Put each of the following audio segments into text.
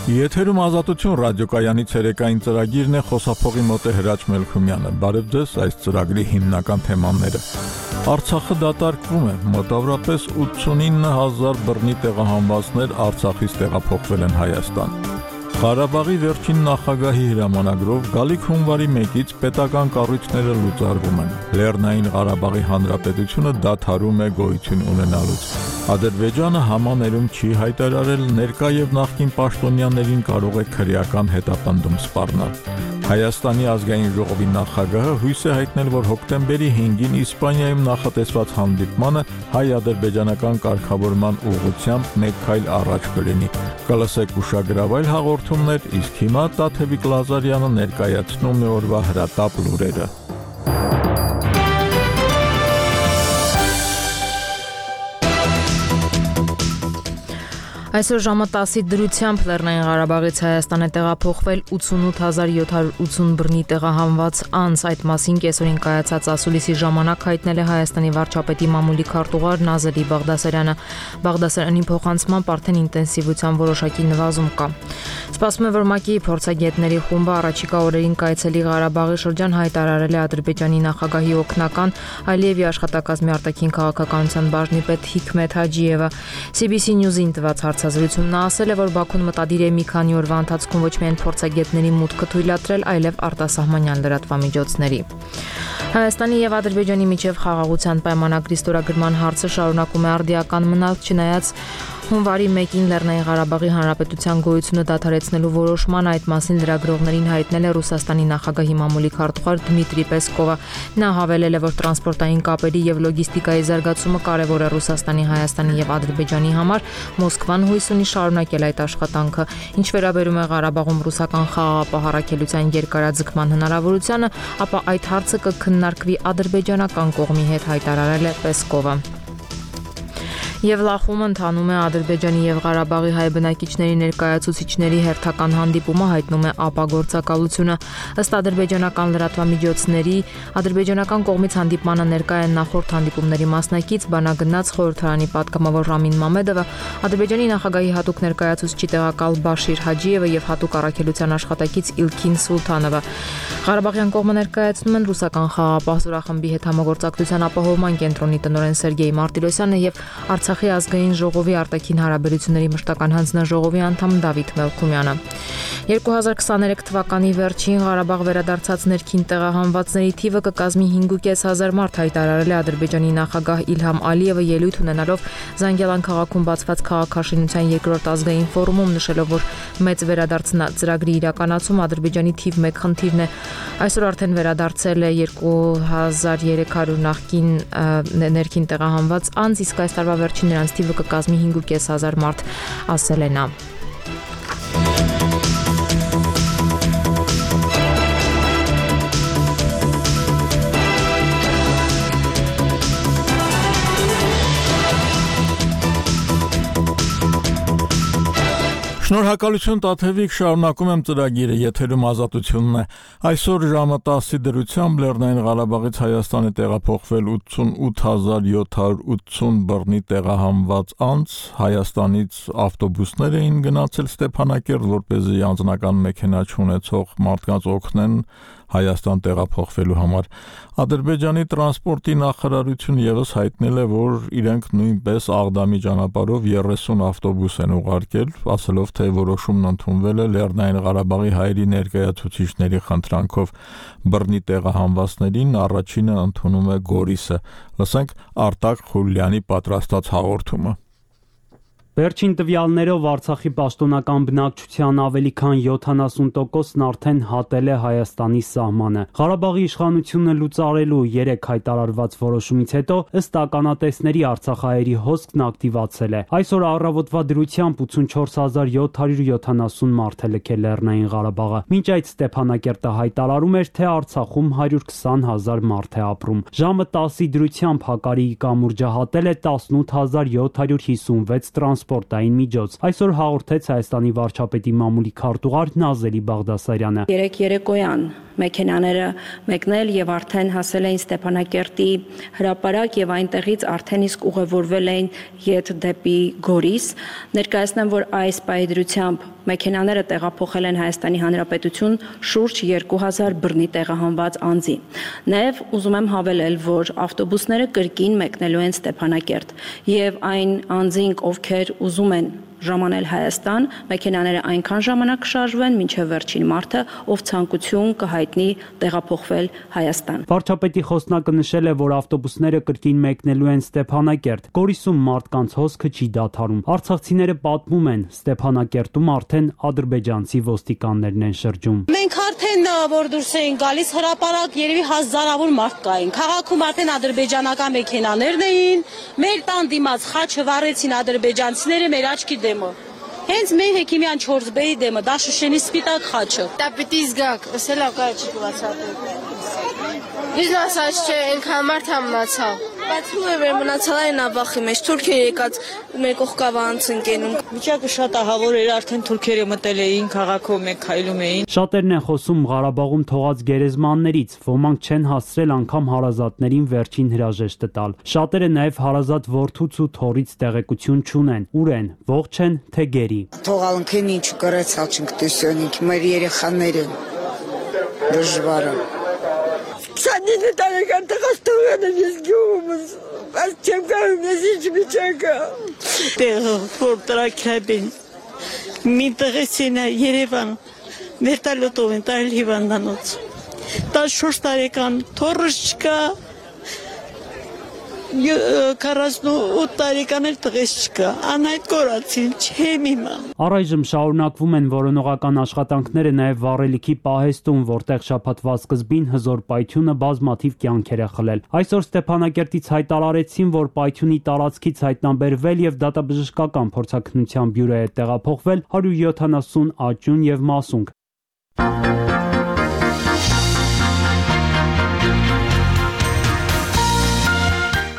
Եթերում ազատություն ռադիոկայանի ցերեկային ծրագիրն է, խոսափողի մոտ է Հրաչ Մելքումյանը։ Բարև ձեզ, այս ծրագրի հիմնական թեմաները։ Արցախը դատարկվում է, մոտավորապես 89,000 բռնի տեղահանվածներ Արցախից տեղափոխվել են Հայաստան։ Ղարաբաղի վերջին նախագահի հրամանագրով գալիք հունվարի 1-ից պետական կառույցները լուծարվում են։ Լեռնային Ղարաբաղի Հանրապետությունը դադարում է գոյություն ունենալուց։ Ադրբեջանը համաներում չի հայտարարել, ներկա եւ նախկին պաշտոնյաներին կարող է քրեական հետապնդում սպառնալ։ Հայաստանի ազգային ժողովի նախագահը հույս է հայտնել, որ հոկտեմբերի 5-ին Իսպանիայում նախատեսված հանդիպմանը հայ-ադրբեջանական կարգավորման ուղղությամբ մեկ քայլ առաջ կլինի։ Կլսեք ուշագրավայր հաղորդումներ, իսկ հիմա Տաթևիկ Լազարյանը ներկայացնում է օրվա հրատապ լուրերը։ Այսօր ժամը 10-ի դրությամբ Լեռնային Ղարաբաղից Հայաստան է տեղափոխվել 88,780 բռնի տեղահանված անձ։ Այդ մասին կեսօրին կայացած ասուլիսի ժամանակ հայտնել է Հայաստանի վարչապետի մամուլի քարտուղար Նազելի Բաղդասարյանը։ Բաղդասարյանի փոխանցմամբ արդեն ինտենսիվության որոշակի նվազում կա։ Սպասվում է, որ ՄԱԿ-ի փորձագետների խումբը առաջիկա օրերին կայցելի Ղարաբաղի շրջան հայտարարել է Ադրբեջանի նախագահի օգնական Ալիևի աշխատակազմի արտաքին քաղաքականության բաժնի պետ Հիքմեթ Հաջիևը CBC News-ին տված հարցազրույցում ասել է, որ Բաքուն մտադիր է մի քանի օրվա ընթացքում ոչ միայն փորձագետների մուտքը թույլատրել, այլև արտասահմանյան լրատվամիջոցների։ Հայաստանի եւ Ադրբեջանի միջև խաղաղության պայմանագրի ստորագրման հարցը շարունակում է արդիական մնալ, չնայած հունվարի 1-ին Լեռնային Ղարաբաղի Հանրապետության գոյությունը դադարեցնելու որոշման այդ մասին լրագրողներին հայտնել է Ռուսաստանի նախագահի մամուլի քարտուղար Դմիտրի Պեսկովը։ Նա հավելել է, որ տրանսպորտային կապերի եւ լոգիստիկայի զարգացումը կարեւոր է Ռուսաստանի, Հայաստանի եւ Ադրբեջանի համար։ Մոսկվան հույս ունի շարունակել այդ աշխատանքը։ Ինչ վերաբերում է Ղարաբաղում ռուսական խաղաղապահարակելության երկարաձգման հնարավորությանը, ապա այդ հարցը կքննարկվի ադրբեջանական կողմի հետ, հայտարարել է Պեսկովը։ Եվ Լախում ընթանում է Ադրբեջանի եւ Ղարաբաղի հայ բնակիչների ներկայացուցիչների հերթական հանդիպումը, հայտնում է ԱՊԱ գործակալությունը։ Ըստ ադրբեջանական լրատվամիջոցների, ադրբեջանական կողմից հանդիպմանը ներկա են նախորդ հանդիպումների մասնակից բանագնաց խորհրդարանի պատգամավոր Ռամին Մամեդովը, Ադրբեջանի նախագահի հատուկ ներկայացուցիչի տեղակալ Բաշիր Հաջիևը եւ հատուկ առաքելության աշխատակից Իլքին Սուլթանովը։ Ղարաբաղյան կողմը ներկայացնում են ռուսական խաղաղապահ զորախմբի հետ համագործակցության ապահովման կենտրոնի տնօրեն Սերգեյ Մարտիրոսյանը եւ Արցախի ազգային ժողովի արտաքին հարաբերությունների մշտական հանձնաժողովի անդամ Դավիթ Մելքումյանը։ 2023 թվականի վերջին Ղարաբաղ վերադարձած ներքին տեղահանվածների թիվը կկազմի 5,500 մարդ, հայտարարել է Ադրբեջանի նախագահ Իլհամ Ալիևը ելույթ ունենալով Զանգելան քաղաքում բացված քաղաքաշինության երկրորդ ազգային ֆորումում, նշելով, որ մեծ վերադարձ ծրագրի իրականացում Ադրբեջանի թիվ 1 խնդիրն է։ Այսօր արդեն վերադարձել է 2300 նախկին ներքին տեղահանված անձ, իսկ այս տարվա վերջին նրանց թիվը կկազմի 5,500 մարդ, ասել է նա։ Շնորհակալություն Տաթևիկ, շարունակում եմ ծրագիրը, եթերում ազատությունն է։ Այսօր ժամը 10-ի դրությամբ Լեռնային Ղարաբաղից Հայաստանի տեղափոխվել 88,780 բռնի տեղահանված անձ, Հայաստանից ավտոբուսներ էին գնացել Ստեփանակերտ, որպեսզի անձնական մեքենա չունեցող մարդկանց օգնեն Հայաստան տեղափոխվելու համար։ Ադրբեջանի տրանսպորտի նախարարություն եւս հայտնել է, որ իրենք նույնպես Աղդամի ճանապարհով 30 ավտոբուս են ուղարկել, ասելով, թե որոշումն ընդունվել է Լեռնային Ղարաբաղի հայերի ներկայացուցիչների խնդրանքով։ Բռնի տեղահանվածներին առաջինը ընդունում է Գորիսը։ Լսենք Արտակ Խուլյանի պատրաստած հաղորդումը։ Վերջին տվյալներով Արցախի պաշտոնական բնակչության ավելի քան 70%-ն արդեն հատել է Հայաստանի սահմանը։ Ղարաբաղի իշխանությունը լուծարելու 3 հայտարարված որոշումից հետո ըստ ականատեսների արցախահայերի հոսքն ակտիվացել է։ Այսօր առավոտվա դրությամբ 84770 մարդ է լքել Լեռնային Ղարաբաղը։ Մինչ այդ Ստեփանակերտը հայտարարում էր, թե Արցախում 120,000 մարդ է ապրում։ Ժամը 10-ի դրությամբ Հակարիի կամուրջը հատել է 18756 տրանսպորտային միջոց։ Այսօր հաղորդեց Հայաստանի վարչապետի մամուլի քարտուղար Նազելի Բաղդասարյանը։ Երեկոյան մեքենաները մեկնել եւ արդեն հասել էին Ստեփանակերտի հրապարակ եւ այնտեղից արդեն իսկ ուղևորվել էին ետ դեպի Գորիս։ Ներկայացնեմ, որ այս պայդրությամբ մեքենաները տեղափոխել են Հայաստանի Հանրապետություն շուրջ 2000 բռնի տեղահանված անձի։ Նաև ուզում եմ հավելել, որ ավտոբուսները կրկին մեկնելու են Ստեփանակերտ եւ այն անձինք, ովքեր ուզում են ժամանել Հայաստան, մեքենաները այնքան ժամանակ կշարժվեն, մինչև վերջին մարդը, ով ցանկություն կհայտնի տեղափոխվել Հայաստան։ Վարչապետի խոսնակը նշել է, որ ավտոբուսները կրկին մեկնելու են Ստեփանակերտ։ Գորիսում մարդկանց հոսքը չի դադարում։ Արցախցիները պատմում են, Ստեփանակերտում արդեն ադրբեջանցի ոստիկաններն են շրջում։ Մենք արդեն որ դուրս էին գալիս հրապարակ, երևի հազարավոր մարդ կային։ Քաղաքում արդեն ադրբեջանական մեքենաներն էին, մեր տան դիմաց խաչը վառեցին ադրբեջանցիները մեր աչքի դեմը։ Հենց մեր Հեքիմյան 4B-ի դեմը, դա Շուշենի սպիտակ խաչը։ Դա պիտի զգաք, ասել ակա չի կվացատել։ Իսկ ասած չէ, այնքան մարդ մնացավ։ Բայց ու է մնացալ այն ավախի մեջ, թուրքերը եկած մեր կողքավանց ընկենում։ Վիճակը շատ ահավոր էր, արդեն թուրքերը մտել էին քաղաքում, մենք քայլում էին։ Շատերն են խոսում Ղարաբաղում թողած գերեզմաններից, ոմանք չեն հասցրել անգամ հարազատներին վերջին հրաժեշտը տալ։ Շատերը նաև հարազատ որդուց ու թոռից տեղեկություն չունեն, ուր են, ողջ են, թե գերի։ Թողալնքին ինչ կրեցալ չենք տեսյոնինք, մեր երեխաները դժվարը։ 29 տարեկան տղաս թողել եմ ես գյուղումս, բայց չեմ կարում ես ինչ վիճակը։ Տեղը, որ տրաքրաբին, մի տղեսին է Երևան, վերտալոտով են տարել հիվանդանոց, 14 տարեկան թորս չկա, 48 տարեկան էլ տղես չկա, անայդ կորացին, չեմ իմա։ Առայժմ շարունակվում են որոնողական աշխատանքները նաև վառելիքի պահեստում, որտեղ շաբաթվա սկզբին հզոր պայթյունը բազմաթիվ կյանքեր է խլել։ Այսօր Ստեփանակերտից հայտարարեցին, որ պայթյունի տարածքից հայտնաբերվել եւ դատաբժշկական փորձաքննության բյուրո է տեղափոխվել 170 աճյուն եւ մասունք։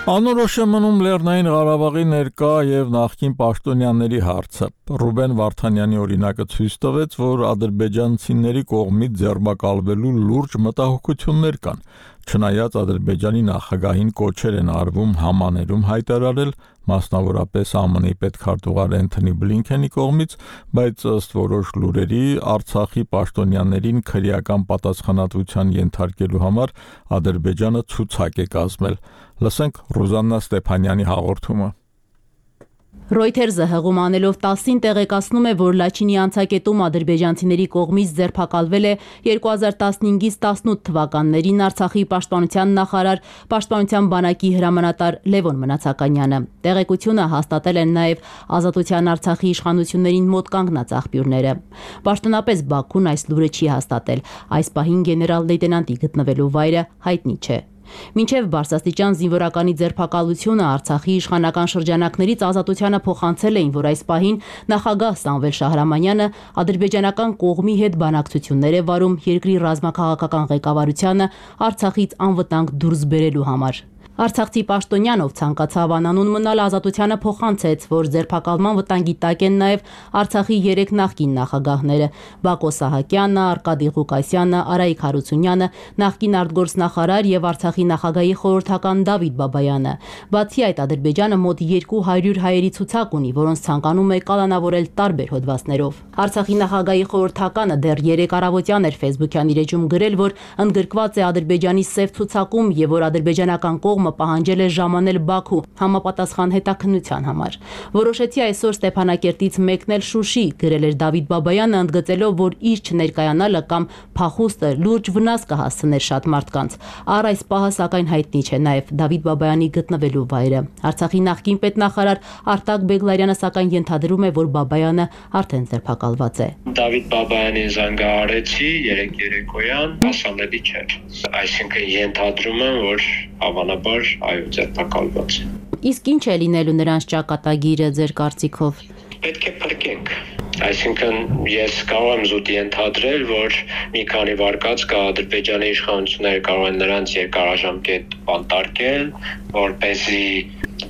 Անորոշ է մնում Լեռնային Ղարաբաղի ներկա եւ նախկին պաշտոնյաների հարցը։ Ռուբեն Վարդանյանի օրինակը ցույց տվեց, որ ադրբեջանցիների կողմից ձեռբակալվելու լուրջ մտահոգություններ կան։ Չնայած Ադրբեջանի նախագահին կոչեր են արվում համաներում հայտարարել, մասնավորապես ԱՄՆ-ի պետքարտուղար Էնթոնի Բլինքենի կողմից, բայց ըստ որոշ լուրերի Արցախի պաշտոնյաներին քրեական պատասխանատվության ենթարկելու համար Ադրբեջանը ցուցակ է կազմել։ Լսենք Ռուզաննա Ստեփանյանի հաղորդումը։ Reuters-ը հղում անելով 10-ին տեղեկացնում է, որ Լաչինի անցակետում ադրբեջանցիների կողմից ձերբակալվել է 2015-ից 18 թվականներին Արցախի պաշտպանության նախարար, պաշտպանության բանակի հրամանատար Լևոն Մնացականյանը։ Տեղեկությունը հաստատել են նաև Ազատության Արցախի իշխանություններին մոտ կանգնած աղբյուրները։ Պաշտոնապես Բաքուն այս լուրը չի հաստատել։ Այս պահին գեներալ լեյտենանտի գտնվելու վայրը հայտնի չէ։ Մինչև բարձրաստիճան զինվորականի ձերբակալությունը Արցախի իշխանական շրջանակներից ազատությանը փոխանցել էին, որ այս պահին նախագահ Սամվել Շահրամանյանը ադրբեջանական կողմի հետ բանակցություններ է վարում երկրի ռազմաքաղաքական ղեկավարությանը Արցախից անվտանգ դուրս բերելու համար։ Արցախցի պաշտոնյան, ով ցանկացավ անանուն մնալ, ազատությանը փոխանցեց, որ ձերբակալման վտանգի տակ են նաև Արցախի 3 նախկին նախագահները՝ Բակո Սահակյանը, Արկադի Ղուկասյանը, Արայիկ Հարությունյանը, նախկին արտգործնախարար եւ Արցախի նախագահի խորհրդական Դավիթ Բաբայանը։ Բացի այդ, Ադրբեջանը մոտ 200 հայերի ցուցակ ունի, որոնց ցանկանում է կալանավորել տարբեր հոդվածներով։ Արցախի նախագահի խորհրդականը դեռ 3 առավոտյան էր Facebook-յան իր էջում գրել, որ ընդգրկված է Ադրբեջանի սև ցուցակում եւ որ ադրբեջանական կողմը պահանջել է ժամանել Բաքու համապատասխան հետաքննության համար։ Որոշեցի այսօր Ստեփանակերտից մեկնել Շուշի, գրել էր Դավիթ Բաբայանը, ընդգծելով, որ իր չներկայանալը կամ փախուստը լուրջ վնաս կհասցներ շատ մարդկանց։ Առ այս պահը սակայն հայտնի չէ նաև Դավիթ Բաբայանի գտնվելու վայրը։ Արցախի նախկին պետնախարար Արտակ Բեգլարյանը սակայն ենթադրում է, որ Բաբայանը արդեն ձերբակալված է։ Դավիթ Բաբայանին զանգահարեցի երեկոյան, հասանելի չէր։ Այսինքն ենթադրում եմ, որ հավանաբար այո ձերբակալված է։ Իսկ ինչ է լինելու նրանց ճակատագիրը ձեր կարծիքով։ Պետք է փրկենք։ Այսինքն ես կարող եմ զուտ ենթադրել, որ մի քանի վարկած կա Ադրբեջանի իշխանությունները կարող են նրանց երկարաժամկետ բանտարկել, որպեսզի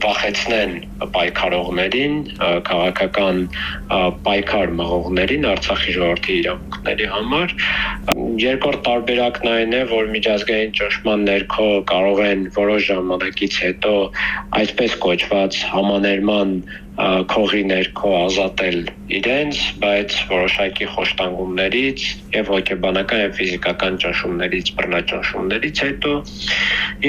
վախեցնեն պայքարողներին, քաղաքական պայքար մղողներին Արցախի ժողովրդի իրավունքների համար։ Երկրորդ տարբերակն այն է, որ միջազգային ճնշման ներքո կարող են որոշ ժամանակից հետո այսպես կոչված համաներման քողի ներքո ազատել իրենց, բայց որոշակի խոշտանգումներից եւ հոգեբանական եւ ֆիզիկական ճնշումներից, բռնաճնշումներից հետո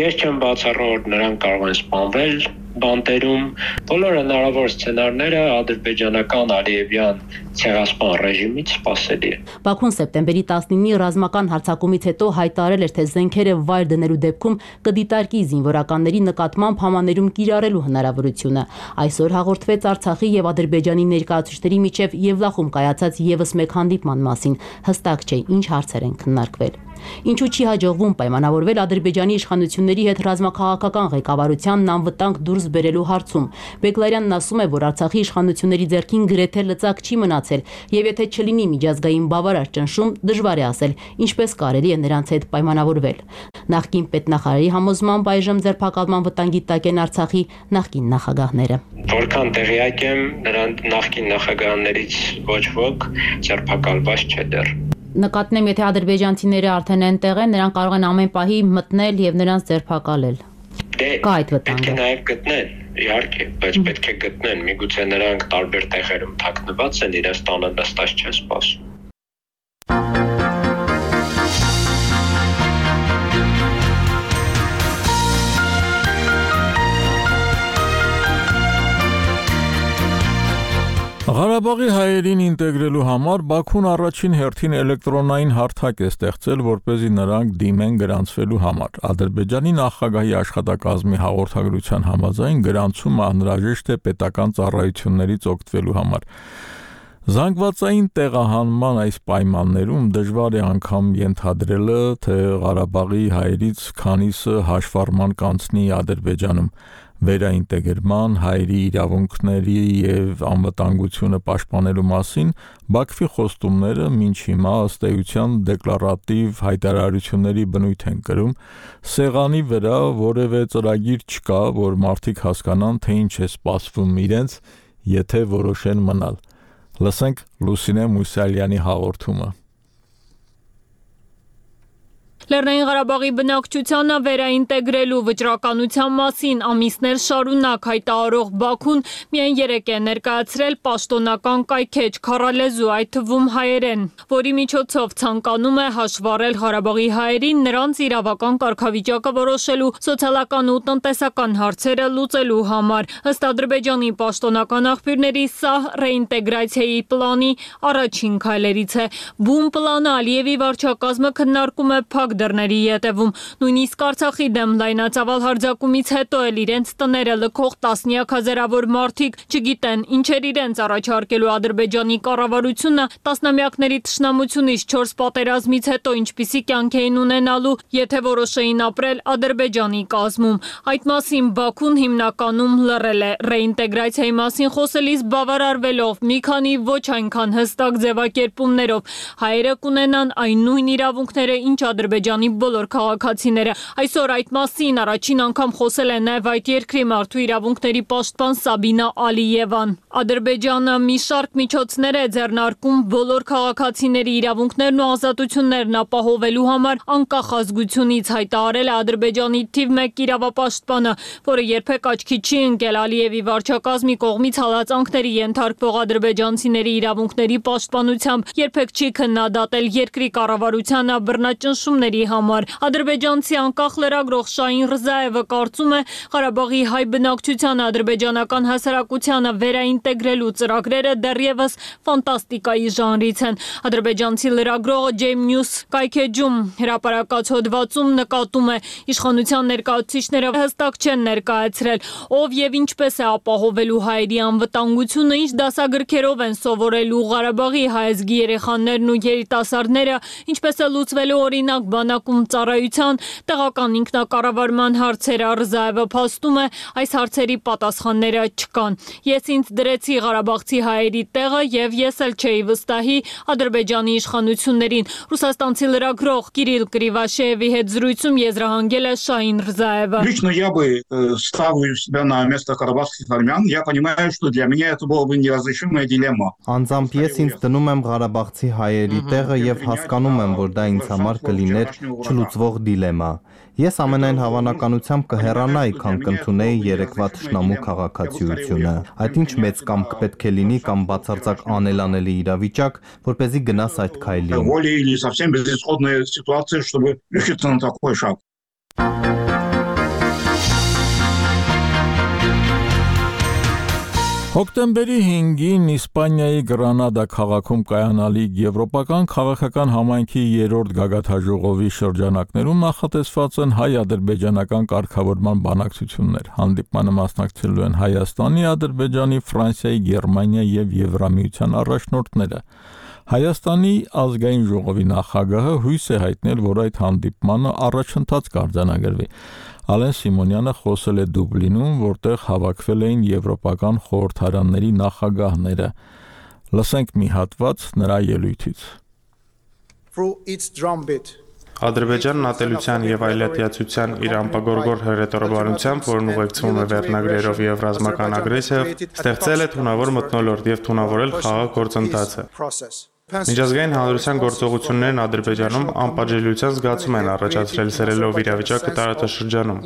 ես չեմ բացառում, որ նրանք կարող են սպանվել բանտերում։ Բոլոր հնարավոր սցենարները ադրբեջանական Ալիևյան ցեղասպան ռեժիմից սպասելի է։ Բաքուն սեպտեմբերի 19-ի ռազմական հարձակումից հետո հայտարարել էր, թե զենքերը վայր դնելու դեպքում կդիտարկի զինվորականների նկատմամբ համաներում կիրառելու հնարավորությունը։ Այսօր հաղորդվեց Արցախի եւ Ադրբեջանի ներկայացուցիչների միջև Եվլախում կայացած եւս մեկ հանդիպման մասին։ Հստակ չէ, ինչ հարցեր են քննարկվել։ Ինչու չի հաջողվում պայմանավորվել Ադրբեջանի իշխանությունների հետ ռազմաքաղաքական ղեկավարությանն անվտանգ դուրս բերելու հարցում։ Բեգլարյանն ասում է, որ Արցախի իշխանությունների ձեռքին գրեթե լծակ չի մնացել, եւ եթե չլինի միջազգային բավարար ճնշում, դժվար է ասել, ինչպես կարելի է նրանց հետ պայմանավորվել։ Նախկին պետնախարարի համոզմամբ այժմ ձերբակալման վտանգի տակ են Արցախի նախկին նախագահները։ Որքան տեղյակ եմ, նրանց նախկին նախագահներից ոչ ոք ձերբակալված չէ դեռ։ Նկատնեմ, եթե ադրբեջանցիները արդեն այնտեղ են, նրանք կարող են ամեն պահի մտնել եւ նրանց ձերբակալել։ Կա այդ վտանգը։ Պետք է նաև գտնեն, իհարկե, բայց պետք է գտնեն։ Միգուցե նրանք տարբեր տեղերում թաքնված են, իրենց տանը նստած չեն սպասում։ Ղարաբաղի հայերին ինտեգրելու համար Բաքուն առաջին հերթին էլեկտրոնային հարթակ է ստեղծել, որպեսզի նրանք դիմեն գրանցվելու համար։ Ադրբեջանի նախագահի աշխատակազմի հաղորդագրության համաձայն գրանցումը անհրաժեշտ է պետական ծառայություններից օգտվելու համար։ Զանգվածային տեղահանման այս պայմաններում դժվար է անգամ ենթադրելը, թե Ղարաբաղի հայերից քանիսը հաշվառման կանցնի Ադրբեջանում։ Վերաինտեգրման, հայերի իրավունքների եւ անվտանգությունը պաշտպանելու մասին Բաքվի խոստումները մինչ հիմա ըստ էության դեկլարատիվ հայտարարությունների բնույթ են կրում, սեղանի վրա որևէ ծրագիր չկա, որ մարդիկ հասկանան, թե ինչ է սպասվում իրենց, եթե որոշեն մնալ։ Լսենք Լուսինե Մուսալյանի հաղորդումը։ Լեռնային Ղարաբաղի բնակչությանը վերաինտեգրելու վճռականության մասին ամիսներ շարունակ հայտարարող Բաքուն միայն 3 է ներկայացրել պաշտոնական կայքեջ քառալեզու, այդ թվում հայերեն, որի միջոցով ցանկանում է հաշվառել Ղարաբաղի հայերին նրանց իրավական կարգավիճակը որոշելու, սոցիալական ու տնտեսական հարցերը լուծելու համար։ Ըստ Ադրբեջանի պաշտոնական աղբյուրների սա ռեինտեգրացիայի պլանի առաջին քայլերից է։ Բուն պլանը Ալիևի վարչակազմը քննարկում է փակ դռների ետևում, նույնիսկ Արցախի դեմ լայնածավալ հարձակումից հետո էլ իրենց տները լքող տասնյակ հազարավոր մարդիկ չգիտեն ինչեր իրենց առաջարկելու Ադրբեջանի կառավարությունը տասնամյակների թշնամությունից 4 պատերազմից հետո ինչպիսի կյանք էին ունենալու, եթե որոշեին ապրել Ադրբեջանի կազմում։ Այդ մասին Բաքուն հիմնականում լռել է, ռեինտեգրացիայի մասին խոսելիս բավարարվելով մի քանի ոչ այնքան հստակ ձևակերպումներով։ Հայերը կունենան այն նույն իրավունքները, ինչ Ադրբեջանի բոլոր քաղաքացիները։ Այսօր այդ մասին առաջին անգամ խոսել է նաև այդ երկրի մարդու իրավունքների պաշտպան Սաբինա Ալիևան։ Ադրբեջանը մի շարք միջոցներ է ձեռնարկում բոլոր քաղաքացիների իրավունքներն ու ազատություններն ապահովելու համար անկախ ազգությունից, հայտարարել է Ադրբեջանի թիվ 1 իրավապաշտպանը, որը երբեք աչքի չի ընկել Ալիևի վարչակազմի կողմից հալածանքների ենթարկվող ադրբեջանցիների իրավունքների պաշտպանությամբ, երբեք չի քննադատել երկրի կառավարությանը բռնաճնշումների համար։ Ադրբեջանցի անկախ լրագրող Շահին Ռզաևը կարծում է, Ղարաբաղի հայ բնակչությանը ադրբեջանական հասարակությանը վերաինտեգրելու ծրագրերը դեռևս ֆանտաստիկայի ժանրից են։ Ադրբեջանցի լրագրողը Ջեյմ Նյուս կայքեջում հրապարակած հոդվածում նկատում է, իշխանության ներկայացուցիչները հստակ չեն ներկայացրել, ով եւ ինչպես է ապահովելու հայերի անվտանգությունը, ինչ դասագրքերով են սովորելու Ղարաբաղի հայազգի երեխաներն ու երիտասարդները, ինչպես է լուծվելու օրինակ բանակում ծառայության տեղական ինքնակառավարման հարցերը Ռզաևը փաստում է, այս հարցերի պատասխանները չկան։ Ես ինձ դրեցի Ղարաբաղցի հայերի տեղը եւ ես էլ չէի վստահի Ադրբեջանի իշխանություններին։ Ռուսաստանցի լրագրող Կիրիլ Կրիվաշեևի հետ զրույցում եզրահանգել է Շահին Ռզաևը։ Лично я бы ставлю себя на место карабахских армян. Я понимаю, что для меня это была бы неразрешимая дилемма. Անձամբ ես ինձ դնում եմ Ղարաբաղցի հայերի տեղը եւ հասկանում եմ, որ դա ինձ համար կլիներ չլուծվող դիլեմա։ Ես ամենայն հավանականությամբ կհեռանայի, քան կընդունեի երեկվա թշնամու քաղաքացիությունը։ Այդ ինչ մեծ կամք պետք է լինի կամ բացարձակ անելանելի իրավիճակ, որպեսզի գնաս այդ քայլին։ Воля или совсем безысходная ситуация, чтобы решиться на такой шаг. Հոկտեմբերի 5-ին Իսպանիայի Գրանադա քաղաքում կայանալիք Եվրոպական քաղաքական համայնքի 3-րդ գագաթաժողովի շրջանակներում նախատեսված են հայ-ադրբեջանական կարգավորման բանակցություններ։ Հանդիպմանը մասնակցելու են Հայաստանի, Ադրբեջանի, Ֆրանսիայի, Գերմանիայի եւ Եվրամիության առաջնորդները։ Հայաստանի ազգային ժողովի նախագահը հույս է հայտնել, որ այդ հանդիպմանը առաջընթաց կարձանագրվի։ Ալեն Սիմոնյանը խոսել է Դուբլինում, որտեղ հավաքվել էին եվրոպական խորհրդարանների նախագահները։ Լսենք մի հատված նրա ելույթից։ Ադրբեջանն ատելության եւ այլատիացության իր անպագորգոր հռետորաբանությամբ, որն ուղեկցվում է վերնագրերով եւ ռազմական ագրեսիայով, ստեղծել է թունավոր մթնոլորտ եւ թունավորել խաղաղ գործընթացը։ Միջազգային հանրության գործողություններն Ադրբեջանում անպատժելիության զգացում են առաջացրել սերելով իրավիճակը տարածաշրջանում։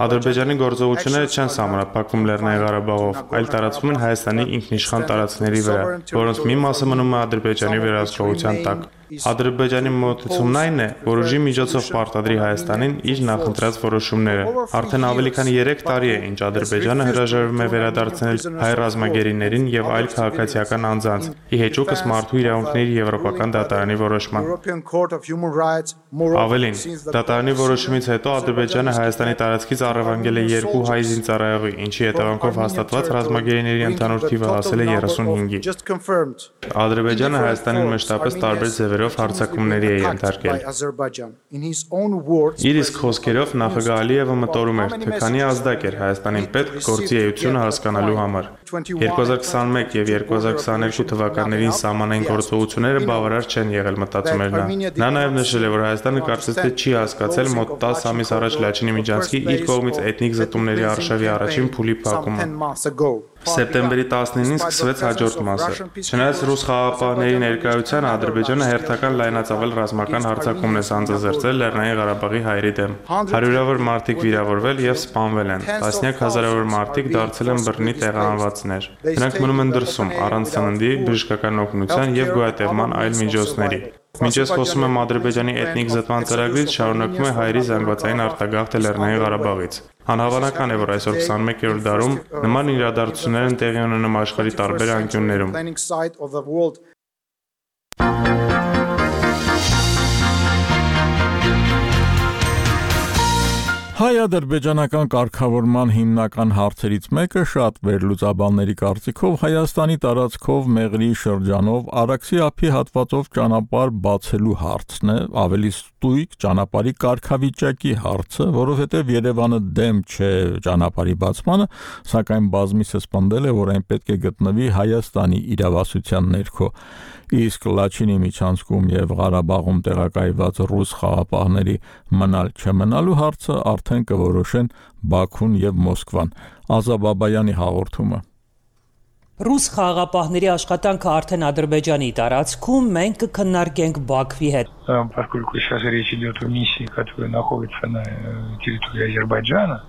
Ադրբեջանի գործողությունները չեն սահմանափակվում Լեռնային Ղարաբաղով, այլ տարածվում են Հայաստանի ինքնիշխան տարածքների վրա, որոնց մի մասը մնում է Ադրբեջանի վերահսկողության տակ։ Ադրբեջանի մոտեցումն այն է, որ ուժի միջոցով պարտադրի Հայաստանին իր նախընտրած որոշումները։ Արդեն ավելի քան 3 տարի է, ինչ Ադրբեջանը հրաժարվում է վերադարձնել հայ ռազմագերիներին եւ այլ քաղաքացիական անձանց՝ ի հեճուկս մարդու իրավունքների Եվրոպական դատարանի որոշման։ Ավելին, դատարանի որոշումից հետո Ադրբեջանը Հայաստանի տարածքից առևանգել է 2 հայ զինծառայողի, ինչի հետևանքով հաստատված ռազմագերիների ընդհանուր թիվը հասել է 35-ի։ Ադրբեջանը Հայաստանին մշտապես տարբեր ձևերով հարձակումների է ենթարկել։ Իր իսկ խոսքերով նախագահ Ալիևը մտորում էր, թե քանի ազդակ էր Հայաստանին պետք գործի էությունը հասկանալու համար։ 2021 եւ 2022 թվականներին սահմանային գործողությունները բավարար չեն եղել, մտածում էր նա։ Նա նաեւ նշել է, որ Հայաստանը կարծես թե չի հասկացել մոտ 10 ամիս առաջ Լաչինի Միջանցքի իր կողմից էթնիկ զտումների արշավի առաջին փուլի փակումը։ Սեպտեմբերի 19-ին սկսվեց հաջորդ մասը։ Չնայած ռուս խաղաղապահների ներկայությանը Ադրբեջանը հերթական լայնածավալ ռազմական հարձակումն է սանձազերծել Լեռնային Ղարաբաղի հայերի դեմ։ Հարյուրավոր մարդիկ վիրավորվել եւ սպանվել են։ Տասնյակ հազարավոր մարդիկ դարձել են բռնի տեղահանվածներ։ Նրանք մնում են դրսում առանց սննդի, բժշկական օգնության եւ գոյատևման այլ միջոցների։ Մինչ ես խոսում եմ Ադրբեջանի էթնիկ զտման ծրագրից, շարունակվում է հայերի զանգվածային արտագաղթը Լեռնային Ղարաբաղից։ Անհավանական է, որ այսօր 21-րդ դարում նման իրադարձություններ են տեղի ունենում աշխարհի տարբեր անկյուններում։ Հայ-ադրբեջանական կարգավորման հիմնական հարցերից մեկը շատ վերլուծաբանների կարծիքով Հայաստանի տարածքով Մեղրի շրջանով Արաքսի ափի հատվածով ճանապարհ բացելու հարցն է, ավելի ստույգ ճանապարհի կարգավիճակի հարցը, որովհետև Երևանը դեմ չէ ճանապարհի բացմանը, սակայն բազմիցս պնդել է, որ այն պետք է գտնվի Հայաստանի իրավասության ներքո։ Իսկ Լաչինի միջանցքում եւ Ղարաբաղում տեղակայված ռուս խաղաղապահների մնալ չմնալու հարցը արդեն կորոշեն Բաքուն եւ Մոսկվան։ Ազա Բաբայանի հաղորդումը։ Ռուս խաղաղապահների աշխատանքը արդեն Ադրբեջանի տարածքում, մենք կքննարկենք Բաքվի հետ։ Поскольку сейчас речь идет о миссии, которая находится на территории Азербайджана,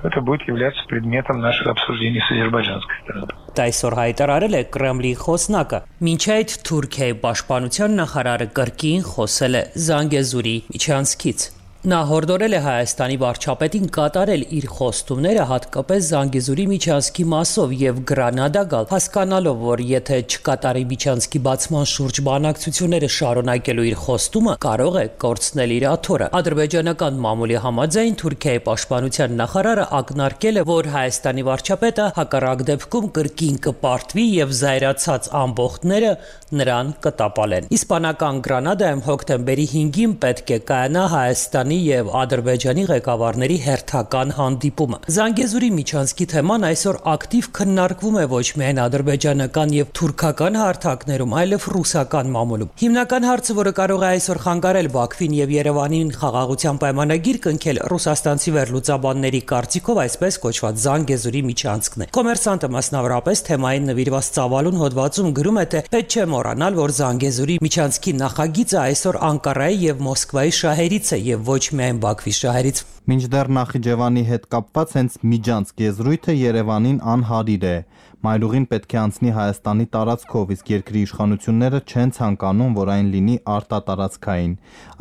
то это будет являться предметом наших обсуждений с азербайджанской стороной. Այսօր հայտարարել է Կրեմլի խոսնակը։ Մինչ այդ Թուրքիայի պաշտպանության նախարարը կրկին խոսել է Զանգեզուրի միջանցքից։ Նա հորդորել է Հայաստանի վարչապետին կատարել իր խոստումները հատկապես Զանգեզուրի միջանցքի մասով եւ Գրանադա գալ, հասկանալով, որ եթե չկատարի միջանցքի բացման շուրջ բանակցությունները շարունակելու իր խոստումը, կարող է կորցնել իր աթոռը։ Ադրբեջանական մամուլի համաձայն Թուրքիայի պաշտպանության նախարարը ակնարկել է, որ Հայաստանի վարչապետը հակառակ դեպքում կրկին կպարտվի եւ զայրացած ամբողջները նրան կտապալեն։ Իսպանական Գրանադայում հոկտեմբերի 5-ին պետք է կայանա Հայաստանի եւ Ադրբեջանի ղեկավարների հերթական հանդիպումը։ Զանգեզուրի միջանցքի թեման այսօր ակտիվ քննարկվում է ոչ միայն ադրբեջանական եւ թուրքական հարթակներում, այլև ռուսական մամուլում։ Հիմնական հարցը, որը կարող է այսօր խանգարել Բաքվին եւ Երևանին խաղաղության պայմանագիր կնքել, ռուսաստանցի վերլուծաբանների կարծիքով այսպես կոչված Զանգեզուրի միջանցքն է։ Կոմերսանտը մասնավորապես թեմային նվիրված ծավալուն հոդվածում գրում է, թե պետք չէ մոռանալ, որ Զանգեզուրի միջանցքի նախագիծը այսօր Անկարայի եւ Մոսկվայի շահերից է եւ ոչ միայն Բաքվի շահերից։ Մինչդեռ Նախիջևանի հետ կապված հենց միջանցք եզրույթը Երևանին անհարիր է։ Մայրուղին պետք է անցնի Հայաստանի տարածքով, իսկ երկրի իշխանությունները չեն ցանկանում, որ այն լինի արտատարածքային։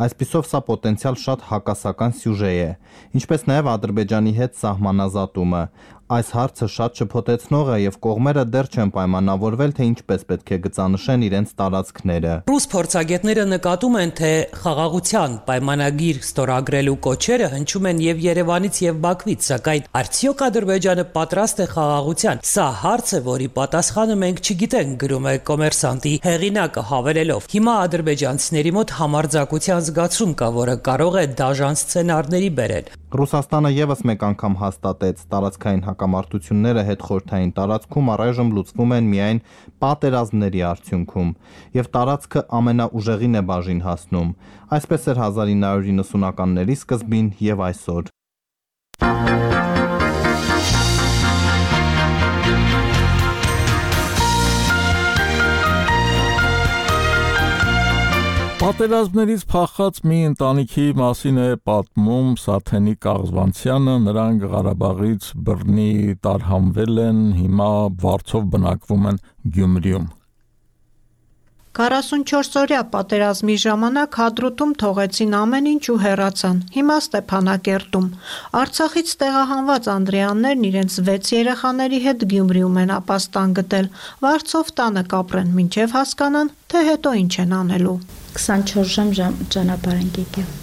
Այսպիսով սա պոտենցիալ շատ հակասական սյուժե է, ինչպես նաև Ադրբեջանի հետ սահմանազատումը։ Այս հարցը շատ շփոթեցնող է եւ կողմերը դեռ չեն պայմանավորվել, թե ինչպես պետք է գծանշեն իրենց տարածքները։ Ռուս փորձագետները նկատում են, թե խաղաղության պայմանագիր ստորագրելու կոչերը հնչում են եւ Երևանից եւ Բաքվից, սակայն արդյոք Ադրբեջանը պատրաստ է խաղաղության։ Սա հարց է, որի պատասխանը մենք չգիտենք, գրում է Կոմերսանտի հեղինակը հավելելով. Հիմա ադրբեջանցիների մոտ համարձակության զգացում կա, որը կարող է դաժան սցենարների բերել։ Ռուսաստանը եւս մեկ անգամ հաստատեց, տարածքային հակամարտությունները հետխորհրդային տարածքում առայժմ լուծվում են միայն պատերազմների արդյունքում, եւ տարածքը ամենաուժեղին է բաժին հասնում։ Այսպես էր 1990-ականների սկզբին եւ այսօր։ Պատերազմներից փախած մի ընտանիքի մասին է պատմում Սաթենի Կաղզվանցյանը, նրանք Ղարաբաղից բռնի տարհանվել են, հիմա վարձով բնակվում են Գյումրիում։ 44-օրյա պատերազմի ժամանակ Հադրութում թողեցին ամեն ինչ ու հեռացան, հիմա Ստեփանակերտում։ Արցախից տեղահանված անդրեյաններն իրենց 6 երեխաների հետ Գյումրիում են ապաստան գտել, վարձով տանը կապրեն, մինչև հասկանան, թե հետո ինչ են անելու։ 24 ժամ ճանապարհ ենք եկել։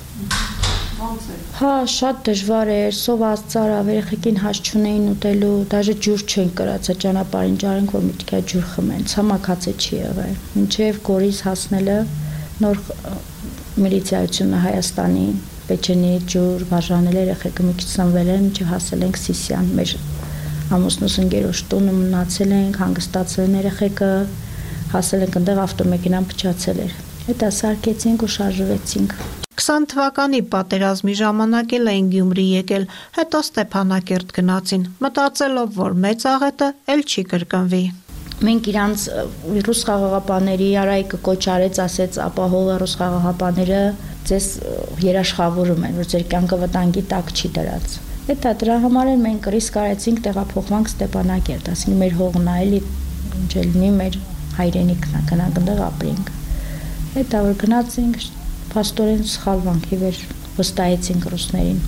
Հա, շատ դժվար էր, սոված ծարավ, երեխեքին հաշ չունեին ուտելու, դաժե ջուր չեն կրած, ճանապարհին ջարենք, որ մի քիչ ջուր խմեն, ցամաքացե չի եղել։ Մինչև Գորիս հասնելը նոր միլիցիայությունը Հայաստանի Պեչենի ջուր բաժանել երեխեքը մի քիչ սնվել են, մինչև հասել ենք Սիսիան, մեր ամուսնուս ընկերոջ տունը մնացել ենք, հանգստացել են երեխեքը, հասել ենք այնտեղ ավտոմեքենան փչացել էր։ Հետո սարքեցինք ու շարժվեցինք։ 20 թվականի պատերազմի ժամանակ էլ էին Գյումրի եկել, հետո Ստեփանակերտ գնացին, մտածելով, որ մեծ աղետը էլ չի կրկնվի։ Մենք իրանց ռուս խաղաղապահների Արայիկը կոչ արեց, ասեց ապահովը ռուս խաղաղապահները ձեզ երաշխավորում են, որ ձեր կյանքը վտանգի տակ չի դրած։ Հետո դրա համար էլ մենք ռիսկ արեցինք տեղափոխվանք Ստեփանակերտ, ասենք մեր հողն է, էլի ինչ լինի մեր հայրենիքն է, գնանք այնտեղ ապրենք։ Հետո որ գնացինք Փաստորեն սխալվանք իվեր վստահեցինք ռուսներին։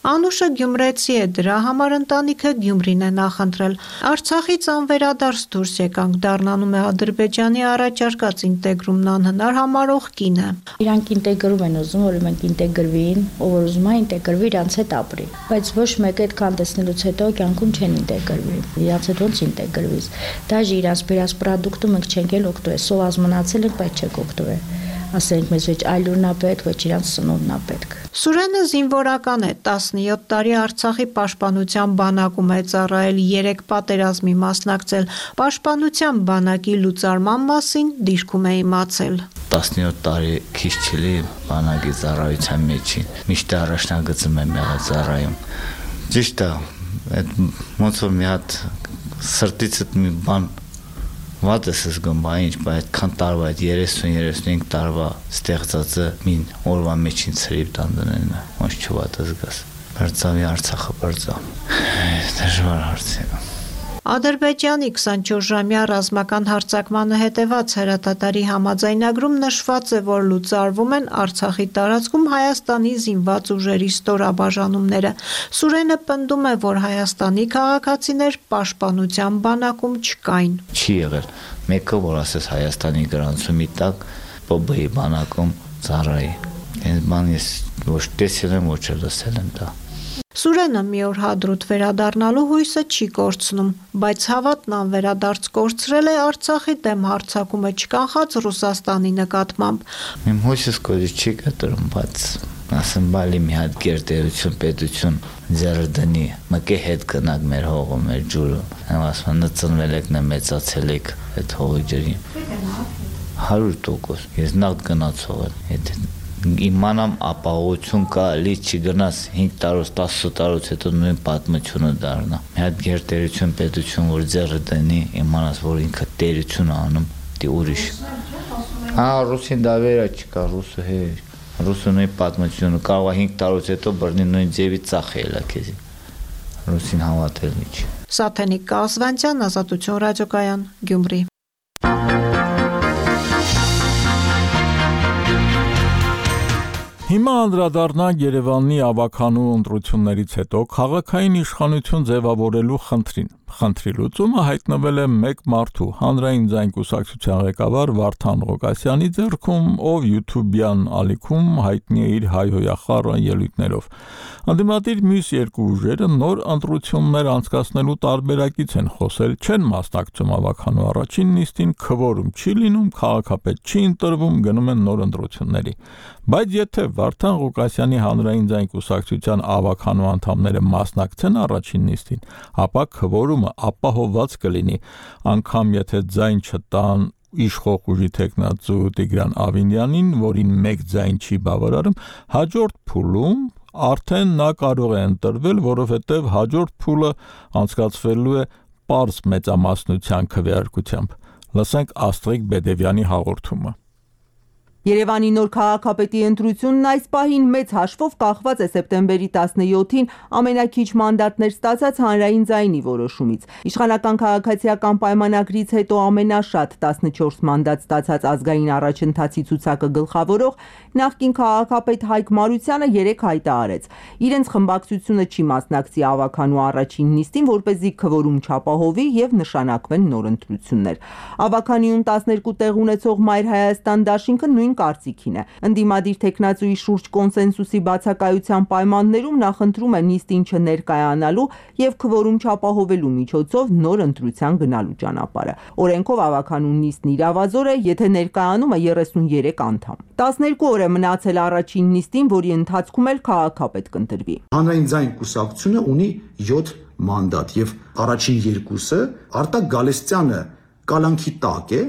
Անուշը գյումրեցի է, դրա համար ընտանիքը Գյումրին է նախընտրել։ Արցախից անվերադարձ դուրս եկանք, դառնանում է Ադրբեջանի առաջարկած ինտեգրումն անհնար համարող կինը։ Իրանք ինտեգրում են ուզում, որ մենք ինտեգրվին, ով որ ուզում է ինտեգրվի, իրանց հետ ապրի։ Բայց ոչ մեկը այդքան տեսնելուց հետո կյանքում չեն ինտեգրվի։ Իրանց հետ ոնց ինտեգրվիս։ Դաժե իրանց բերած պրոդուկտը մենք չենք էլ օգտվել, սոված մնացել ենք, բայց չենք օգտվել։ Ասենք մեզ ոչ այլուրն է պետք, ոչ իրանց սնունդն է պետք։ Սուրենը զինվորական է, 17 տարի Արցախի պաշտպանության բանակում է ծառայել, 3 պատերազմի մասնակցել, պաշտպանության բանակի լուծարման մասին դիրքում է իմացել։ 17 տարի քիչ չելի բանակի ծառայության մեջին, միշտ առաջնագծում եմ եղել ծառայում։ Ճիշտ է, այդ ոնց որ մի հատ սրտիցդ մի բան Վատ ես զգում, ինչ, բայց այդքան տարվա, այդ 30-35 տարվա ստեղծածը մին օրվա մեջին ցրիվ տանդնեն, ոնց չվատ զգաս։ Բարձավի Արցախը բարձավ։ Դժվար հարց է։ Ադրբեջանի 24-ժամյա ռազմական հարձակմանը հետևած հրադադարի համաձայնագրում նշված է, որ լուծարվում են Արցախի տարածքում Հայաստանի զինված ուժերի ստորաբաժանումները։ Սուրենը պնդում է, որ Հայաստանի քաղաքացիներ պաշտպանության բանակում չկային։ Չի եղել մեկը, որ ասես Հայաստանի գրանցումի տակ ՊԲ-ի բանակում ծառայի։ Այս բանը ես ոչ տեսել եմ, ոչ լսել եմ դա։ Սուրենը մի օր հադրուտ վերադառնալու հույսը չի կորցնում, բայց հավատն անվերադարձ կորցրել է Արցախի դեմ հարձակումը չկանխած Ռուսաստանի նկատմամբ։ Իմ հույսս կորի չի կտրում, բայց ասեմ բալի մի հատ գերտերություն, պետություն ձեռը դնի, մկե հետ գնաք մեր հողը, մեր ջուրը։ Եմ ասում, նծնվել եք, մեծացել եք այդ հողի ջրին։ 100%, ես նախ գնացող եմ, եթե իմանամ ապահովություն կա, լի չգնաս 5 տարուց, 10 տարուց հետո նույն պատմությունը դառնա։ Մի հատ գերտերություն, պետություն, որ ձեռը դնի, իմանաս, որ ինքը տերություն անում, դի ուրիշ։ Ռուսին դա վերա չկա, ռուսը հե, ռուսը նույն պատմությունը կարող է 5 տարուց հետո բռնի նույն ձևի ծախելա քեզի։ Ռուսին հավատել չի։ Սաթենիկ Կազվանցյան, Ազատություն ռադիոկայան, Գյումրի։ Հիմա անդրադառնանք Երևանի ավականու ընտրություններից հետո քաղաքային իշխանություն ձևավորելու խնդրին։ Խնդրի լուծումը հայտնվել է մեկ մարդու, հանրային ձայն կուսակցության ղեկավար Վարդան Ղուկասյանի ձեռքում, ով YouTube-յան ալիքում հայտնի է իր հայհոյախառը ելույթներով։ Անդիմադիր մյուս երկու ուժերը նոր ընտրություններ անցկացնելու տարբերակից են խոսել, չեն մասնակցում ավականու առաջին նիստին, քվորում չի լինում, քաղաքապետ չի ընտրվում, գնում են նոր ընտրությունների։ Բայց եթե Վարդան Ղուկասյանի հանրային ձայն կուսակցության ավականու անդամները մասնակցեն առաջին նիստին, ապա քվորումը ապահովված կլինի, անգամ եթե ձայն չտան իշխող ուժի տեխնացու Տիգրան Ավինյանին, որին մեկ ձայն չի բավարարում, հաջորդ փուլում արդեն նա կարող է ընտրվել, որովհետև հաջորդ փուլը անցկացվելու է պարզ մեծամասնության քվեարկությամբ։ Լսենք Աստրիկ Բեդևյանի հաղորդումը։ Երևանի նոր քաղաքապետի ընտրությունն այս պահին մեծ հաշվով կախված է սեպտեմբերի 17-ին ամենակիչ մանդատներ ստացած հանրային ձայնի որոշումից։ Իշխանական քաղաքացիական պայմանագրից հետո ամենաշատ 14 մանդատ ստացած ազգային առաջընթացի ցուցակը գլխավորող նախկին քաղաքապետ Հայկ Մարությանը 3 հայտարարեց։ Իրենց խմբակցությունը չի մասնակցի ավականու առաջին նիստին, որպեսզի քվորում չապահովի եւ նշանակվեն նոր ընտրություններ։ Ավականիում 12 տեղ ունեցող Մայր Հայաստան դաշինքը նույն կարծիքին է։ Ընդդիմադիր տեխնացուի շուրջ կոնսենսուսի բացակայության պայմաններում նախընտրում է նիստին չներկայանալու եւ քվորում չապահովելու միջոցով նոր ընտրության գնալու ճանապարհը։ Օրենքով ավականու նիստն իրավազոր է, եթե ներկայանում է 33 անդամ։ 12 օր է մնացել առաջին նիստին, որի ընթացքում էլ քաղաքապետ կընտրվի։ Հանրային ձայն կուսակցությունը ունի 7 մանդատ եւ առաջին երկուսը Արտակ Գալստյանը կալանքի տակ է,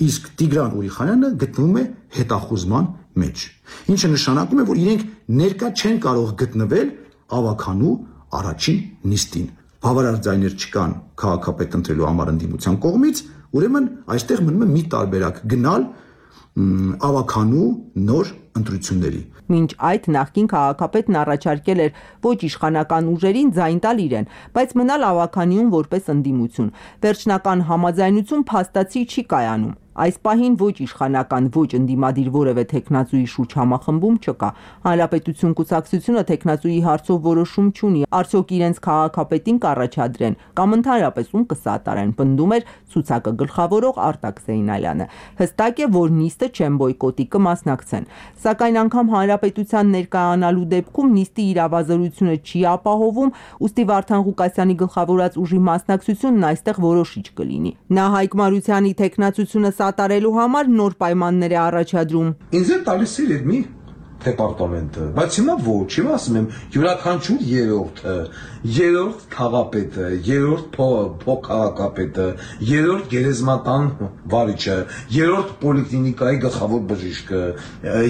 իսկ Տիգրան Ուրիխանյանը գտնվում է հետախուզման մեջ, ինչը նշանակում է, որ իրենք ներկա չեն կարող գտնվել ավականու առաջին նիստին։ Բավարար ձայներ չկան քաղաքապետ ընտրելու համար ընդդիմության կողմից, ուրեմն այստեղ մնում է մի տարբերակ՝ գնալ ավականու նոր ընտրությունների։ Մինչ այդ նախկին քաղաքապետն առաջարկել էր ոչ իշխանական ուժերին ձայն տալ իրեն, բայց մնալ ավականիում որպես ընդդիմություն։ Վերջնական համաձայնություն փաստացի չի կայանում։ Այս պահին ոչ իշխանական, ոչ ընդդիմադիր որևէ տեխնացուի շուրջ համախմբում չկա։ Հանրապետություն կուսակցությունը տեխնացուի հարցով որոշում չունի, արդյոք իրենց քաղաքապետին կառաջադրեն կամ ընդհանրապես ում կսատարեն, պնդում էր ցուցակը գլխավորող Արտակ Զեյնալյանը։ Հստակ է, որ նիստը չեն բոյկոտի, կմասնակցեն։ Սակայն անգամ հանրապետության ներկայանալու դեպքում նիստի իրավազորությունը չի ապահովում, ուստի Վարդան Ղուկասյանի գլխավորած ուժի մասնակցությունն այստեղ որոշիչ կլինի։ Նա Հայկ Մարությանի տեխնացությունը սատարելու համար նոր պայմաններ է առաջադրում։ Ինձ է տալիս իրենի դեպարտամենտը, բայց հիմա ոչ, հիմա ասում եմ յուրաքանչյուր երրորդ քաղաքապետը, երրորդ փոխքաղաքապետը, երրորդ գերեզմանատան վարիչը, երրորդ պոլիկլինիկայի գլխավոր բժիշկը,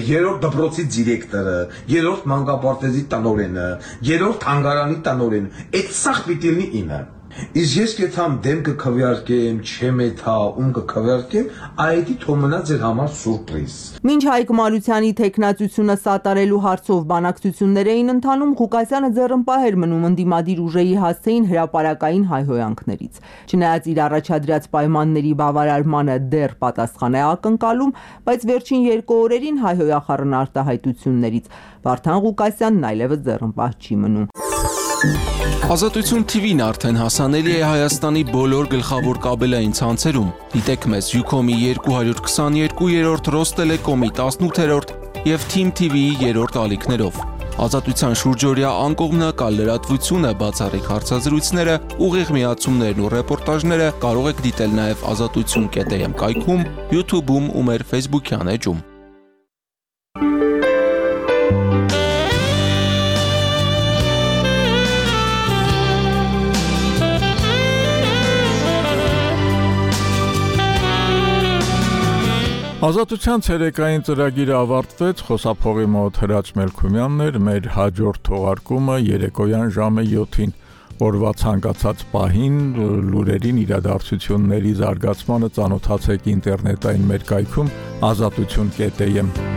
երրորդ դպրոցի դիրեկտորը, երրորդ մանկապարտեզի տնօրենը, երրորդ թանգարանի տնօրենը, այդ սաղ պիտի լինի իմը։ Իսկ ես կեթամ դեմ կքվեարկեմ, չեմ էթա, ում կքվեարկեմ, այդի թոմնա ձեր համար սուրպրիզ։ Մինչ Հայկ Մարությանի տեխնացությունը սատարելու հարցով բանակցություններ էին ընթանում, Ղուկասյանը ձեռնպահ էր մնում ընդդիմադիր ուժերի հասցեին հրապարակային հայհոյանքներից։ Չնայած իր առաջադրած պայմանների բավարարմանը դեռ պատասխան է ակնկալում, բայց վերջին 2 օրերին հայհոյախառն արտահայտություններից Վարդան Ղուկասյանն այլևս ձեռնպահ չի մնում։ Ազատություն TV-ն արդեն հասանելի է Հայաստանի բոլոր գլխավոր կաբելային ցանցերում։ Դիտեք մեզ Ucom-ի 222-րդ, Ռոստելեկոմի 18-րդ եւ Team TV-ի 3-րդ ալիքներով։ Ազատության շուրջօրյա անկողմնակալ լրատվությունը, բացառիկ հարցազրույցները, ուղիղ միացումներն ու ռեպորտաժները կարող եք դիտել նաեւ azatutsun.am կայքում, YouTube-ում ու մեր Facebook-յան էջում։ Ազատության ցերեկային ծրագիրը ավարտվեց, խոսափողի մոտ Հրաչ Մելքումյանն էր, մեր հաջորդ թողարկումը երեկոյան ժամը 7-ին, օրվա ցանկացած պահին լուրերին, իրադարձությունների զարգացմանը ծանոթացեք ինտերնետային մեր կայքում azatutsun.am